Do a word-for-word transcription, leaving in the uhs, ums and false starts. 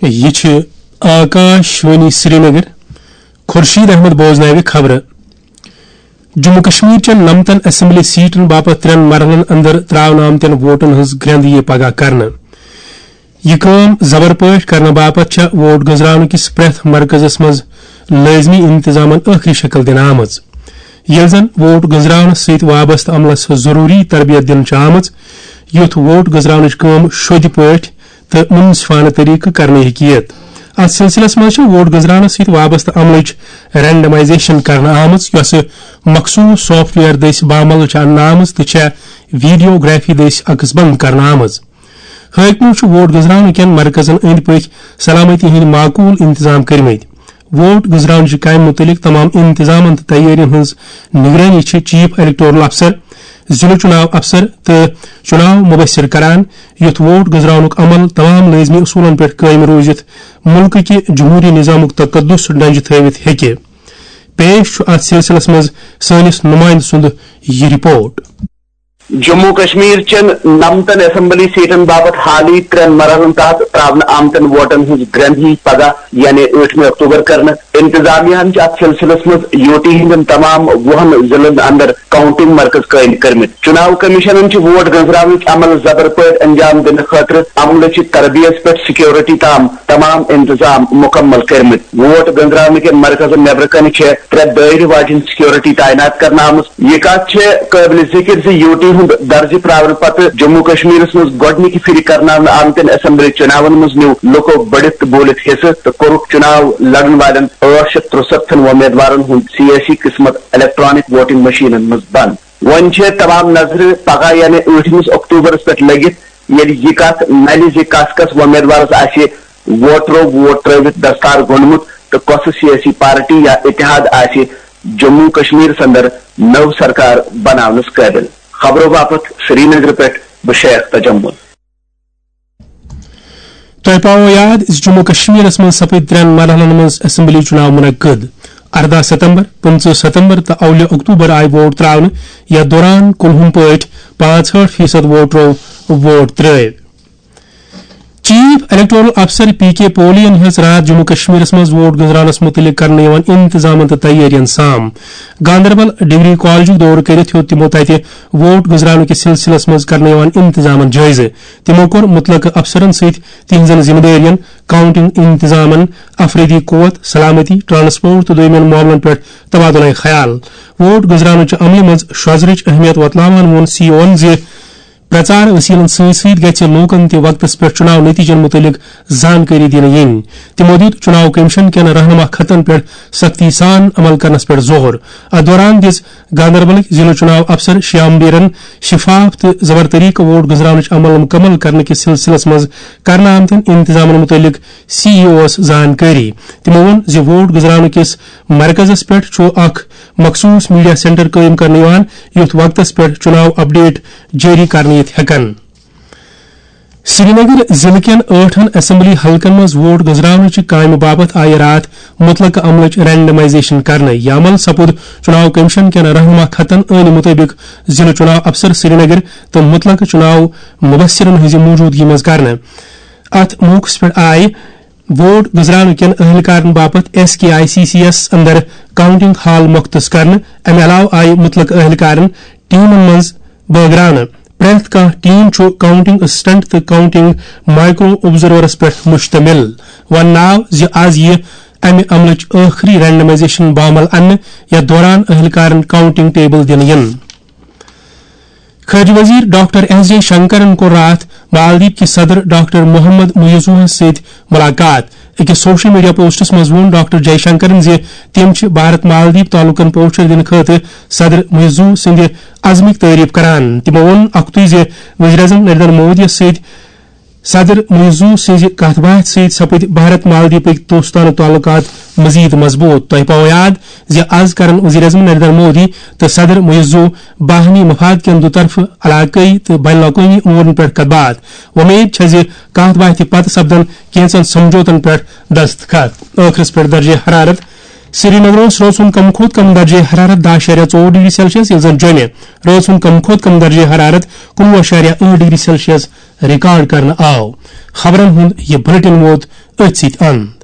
یہِ چھِ آکاش وانی سرینگر۔ خورشید احمد بوزناوِ خبرٕ۔ جموں کشمیر چٮ۪ن نمتن اسمبلی سیٹن باپتھ ترٛٮ۪ن مرحلن اندر تراونہٕ آمتٮ۪ن ووٹن ہٕنٛز گرٛنٛد یِیہِ پگاہ کرنہٕ۔ یہِ کٲم زبر پٲٹھۍ کرنہٕ باپتھ چھےٚ ووٹ گٔنزراونہٕ کِس پرٛٮ۪تھ مرکزس منٛز لٲزمی انتظامن ٲخری شکل دِنہٕ آمٕژ، ییٚلہِ زن ووٹ گٔنزراونس سۭتۍ وابستہٕ عملس ضروٗری تربیت دِنہٕ چھِ آمٕژ، یُتھ ووٹ گٔنزراونٕچ کٲم شوٚدِ پٲٹھۍ تہٕ منصفانہٕ طریقہٕ کرنہٕ ہیٚکہِ یِتھ۔ اتھ سلسلس منٛز چھِ ووٹ گٔنزراونس سۭتۍ وابستہٕ عملٕچ رینڈمائزیشن کرنہٕ آمٕژ، یۄسہٕ مخصوص سافٹ ویئر دٔسۍ بامل چھِ اننہٕ آمٕژ تہٕ چھےٚ ویڈیوگرافی دٔسۍ عکس بند کرنہٕ آمٕژ۔ حٲکمو چھِ ووٹ گٔنزراونہٕ کٮ۪ن مرکزن أنٛدۍ پٔکۍ سلامتی ہٕنٛدۍ معقول انتظام کٔرمٕتۍ۔ ووٹ گٔنزراونٕچہِ کامہِ مُتعلق تمام انتظامن تہٕ تیٲرین ہٕنٛز نگرٲنی چھِ چیف الیکٹورل افسر، ضلع چُناو افسر تہٕ چُناو مبصر کران، یُتھ ووٹ گٔنزراونُک عمل تمام لٲزمی اصوٗلن پٮ۪ٹھ قٲیِم روٗزِتھ مُلکہٕ کہِ جمہوٗری نظامُک تقدس ڈنجہِ تھٲوِتھ ہیٚکہِ۔ پیش چھُ اتھ سلسلس منٛز سٲنِس نُمٲیندٕ سُنٛد یہِ رپورٹ۔ جموں کشمیر چٮ۪ن نمتن اسمبلی سیٹن باپتھ حالٕے ترٛٮ۪ن مرحلن تحت تراونہٕ آمتٮ۪ن ووٹن ہٕنٛز گرٛنٛد یی پگاہ یعنی ٲٹھمہِ اکتوبر کرنہٕ۔ انتظامیہ ہن چھِ اتھ سلسلس منٛز یوٗ ٹی ہٕنٛدٮ۪ن تمام وُہن ضلعن اندر کاؤنٹنگ مرکز قٲیِم کٔرمٕتۍ۔ چُناو کمیشنن چھِ ووٹ گٔنزراونٕچ عمل زبر پٲٹھۍ انجام دِنہٕ خٲطرٕ عملہٕ چہِ تربیت پٮ۪ٹھ سیکورٹی تام تمام انتظام مُکمل کٔرمٕتۍ۔ ووٹ گٔنزراونہٕ کٮ۪ن مرکزن نیبرٕ کنہِ چھےٚ ترٛےٚ دٲیرٕ واجیٚنۍ سیکورٹی تعینات کرنہٕ آمٕژ۔ یہِ کتھ چھےٚ قٲبلِ ذِکر زِ یوٗ ٹی ہُنٛد درجہِ پراونہٕ پتہٕ جموں کشمیرس منٛز گۄڈٕنِکہِ پھِرِ کرناونہٕ آمتٮ۪ن اسمبلی چُناون منٛز نیوٗ لُکو بٔڑِتھ تہٕ بوٗلِتھ حصہٕ تہٕ کوٚرُکھ چُناو لڑن والٮ۪ن ٲٹھ شیٚتھ ترُسَتتھن وۄمیدوارن ہُنٛد سیٲسی قٕسمت الیکٹرانک ووٹنگ مشینن منٛز بند۔ وۄنۍ چھےٚ تمام نظرٕ پگاہ یعنی ٲٹھمِس اکتوبرس پٮ۪ٹھ لٔگِتھ، ییٚلہِ یہِ کتھ نلہِ زِ کس کس وۄمیدوارس آسہِ ووٹرو ووٹ ترٲوِتھ دستار گوٚنڈمُت تہٕ کۄسہٕ سیٲسی پارٹی یا اتحاد آسہِ جموں کشمیرس اندر نٔو سرکار بناونس قٲبل۔ خبرو باپتھ سرینگرٕ پٮ۪ٹھ بہٕ شیخ تجمل۔ تۄہہِ پاوو یاد زِ جموں کشمیرس منٛز سپٕدۍ ترٛٮ۪ن مرحلن منٛز اسمبلی چُناو منعقد۔ ارداہ ستمبر، پٕنٛژٕہ ستمبر تہٕ اولہِ اکتوبر آیہِ ووٹ تراونہٕ، یتھ دوران کُنہُم پٲٹھۍ پانٛژہٲٹھ فیصد ووٹرو ووٹ ترٲوۍ۔ چیف الیکٹورل افسر پی کے پولی ین ہیٚژ راتھ جموں کشمیرس منٛز ووٹ گٔنزراونس مُتعلق کرنہٕ یِوان انتظامن تہٕ تیٲرین سام۔ گاندربل ڈگری کالجُک دورٕ کٔرِتھ ہیوٚت تِمو تتہِ ووٹ گٔنزراونہٕ کِس سلسلس منٛز کرنہٕ یِوان انتظامن جٲیزٕ۔ تِمو کوٚر مُتلقہٕ افسرن سۭتۍ تِہنٛزن ذمہٕ دٲرین، کاؤنٹنگ انتظامن، افرٲدی قوت، سلامتی، ٹرانسپورٹ تہٕ دوٚیمٮ۪ن معاملن پٮ۪ٹھ تبادلہ خیال۔ ووٹ گٔنزراونٕچہِ عملہِ منٛز شۄزرٕچ اہمیت وۄتلاوان ووٚن سی او ون زِ پرچار وسیلن سۭتۍ سۭتۍ گژھِ لوٗکن تہِ وقتس پٮ۪ٹھ چُناو نتیجن مُتعلق زانکٲری دِنہٕ یِنۍ۔ تِمو دِیُت چُناو کمیشن کٮ۪ن رہنما خطن پٮ۪ٹھ سختی سان عمل کرنس پٮ۪ٹھ زور۔ اتھ دوران دِژ گاندربلٕکۍ ضلع چُناو افسر شیام بیرن شفاف تہٕ زبر طریقہٕ ووٹ گٔنزراونٕچ عمل مُکمل کرنہٕ کِس سلسلس منٛز کرنہٕ آمتٮ۪ن انتظامن مُتعلق سی ای اوس زانکٲری۔ تِمو ووٚن زِ ووٹ گٔنزراونہٕ کِس مرکزس پٮ۪ٹھ چھُ اکھ مخصوص میڈیا سینٹر قٲیِم کرنہٕ یِوان، یُتھ وقتس پٮ۪ٹھ چُناو اپڈیٹ جٲری کرنہٕ یِتھ ہٮ۪کن۔ سرینگر ضلعہٕ کٮ۪ن ٲٹھن اسمبلی حلقن منٛز ووٹ گٔنزراونٕچہِ کامہِ باپتھ آیہِ راتھ مُتلقہٕ عملٕچ رینڈمائزیشن کرنہٕ۔ یہِ عمل سپُد چُناو کمیشن کٮ۪ن رہنما خطن عٲنہِ مُطٲبِق ضلعہٕ چُناو افسر سرینگر تہٕ مُتلقہٕ چُناو مبصرن ہٕنٛزِ موجودگی منٛز کرنہٕ۔ اتھ موقعس پٮ۪ٹھ آیہِ ووٹ گٔنزراونہٕ کٮ۪ن اہلکارن باپتھ S K I C C یس اندر کاؤنٹنگ ہال مختص کرنہٕ۔ امہِ علاوٕ آیہِ مُتلقہٕ اہلکارن ٹیمن منٛز بٲگراونہٕ۔ پرٛٮ۪تھ کانٛہہ ٹیم چھُ کاؤنٹنگ اسسٹنٹ تہٕ کاؤنٹنگ مائیکرو آبزرورس پٮ۪ٹھ مشتمل۔ وننہٕ آو زِ از یِیہِ امہِ عملٕچ ٲخری رینڈمائزیشن بامل اننہٕ، یتھ دوران اہلکارن کاؤنٹنگ ٹیبل دِنہٕ یِن۔ خارجہ وزیر ڈاکٹر ایس جے شنکرن کوٚر راتھ مالدیپ کہِ صدر ڈاکٹر محمد معیزوہس سۭتۍ ملاقات۔ أکِس سوشل میڈیا پوسٹس منٛز ووٚن ڈاکٹر جے شنکرن زِ تِم چھِ بھارت مالدیپ تعلقن پوچھر دِنہٕ خٲطرٕ صدر معیزو سٕنٛدِ عزمٕچ تعریف کران۔ تِمو ووٚن اکھتُے زِ وزیر اعظم نریندر مودیَس سۭتۍ صدر معیزو سٕنٛزِ کتھ باتھِ سۭتۍ سپٕدۍ بھارت مالدیپٕکۍ دوستانہٕ تعلقات مزید مضبوط۔ تۄہہِ پاوو یاد زِ از کرن وزیر اعظم نریندر مودی تہٕ صدر معیزو باہمی مفاد کٮ۪ن دُطرفہٕ، علاقٲیی تہٕ بین الاقوٲمی امورن پٮ۪ٹھ کتھ باتھ۔ وۄمید چھےٚ زِ کتھ باتھِ پتہٕ سپدن کینٛژن سمجھوتن پٮ۪ٹھ دستخط۔ ٲخرس پٮ۪ٹھ درجہ حرارت سرینگرس رٲژ ہُنٛد کم کھۄتہٕ کم درجہ حرارت دَہ اَشاریہ ژور ڈگری سیلسیس، ییٚلہِ زن جوٚمہِ رٲژ ہُنٛد کم کھۄتہٕ کم درجہ حرارت کُنوُہ اَشاریہ ٲٹھ ڈگری سیلسیس ریکارڈ کرنہٕ آو۔ خبرن ہُنٛد یہِ بلیٹن ووت أتھۍ سۭتۍ اند۔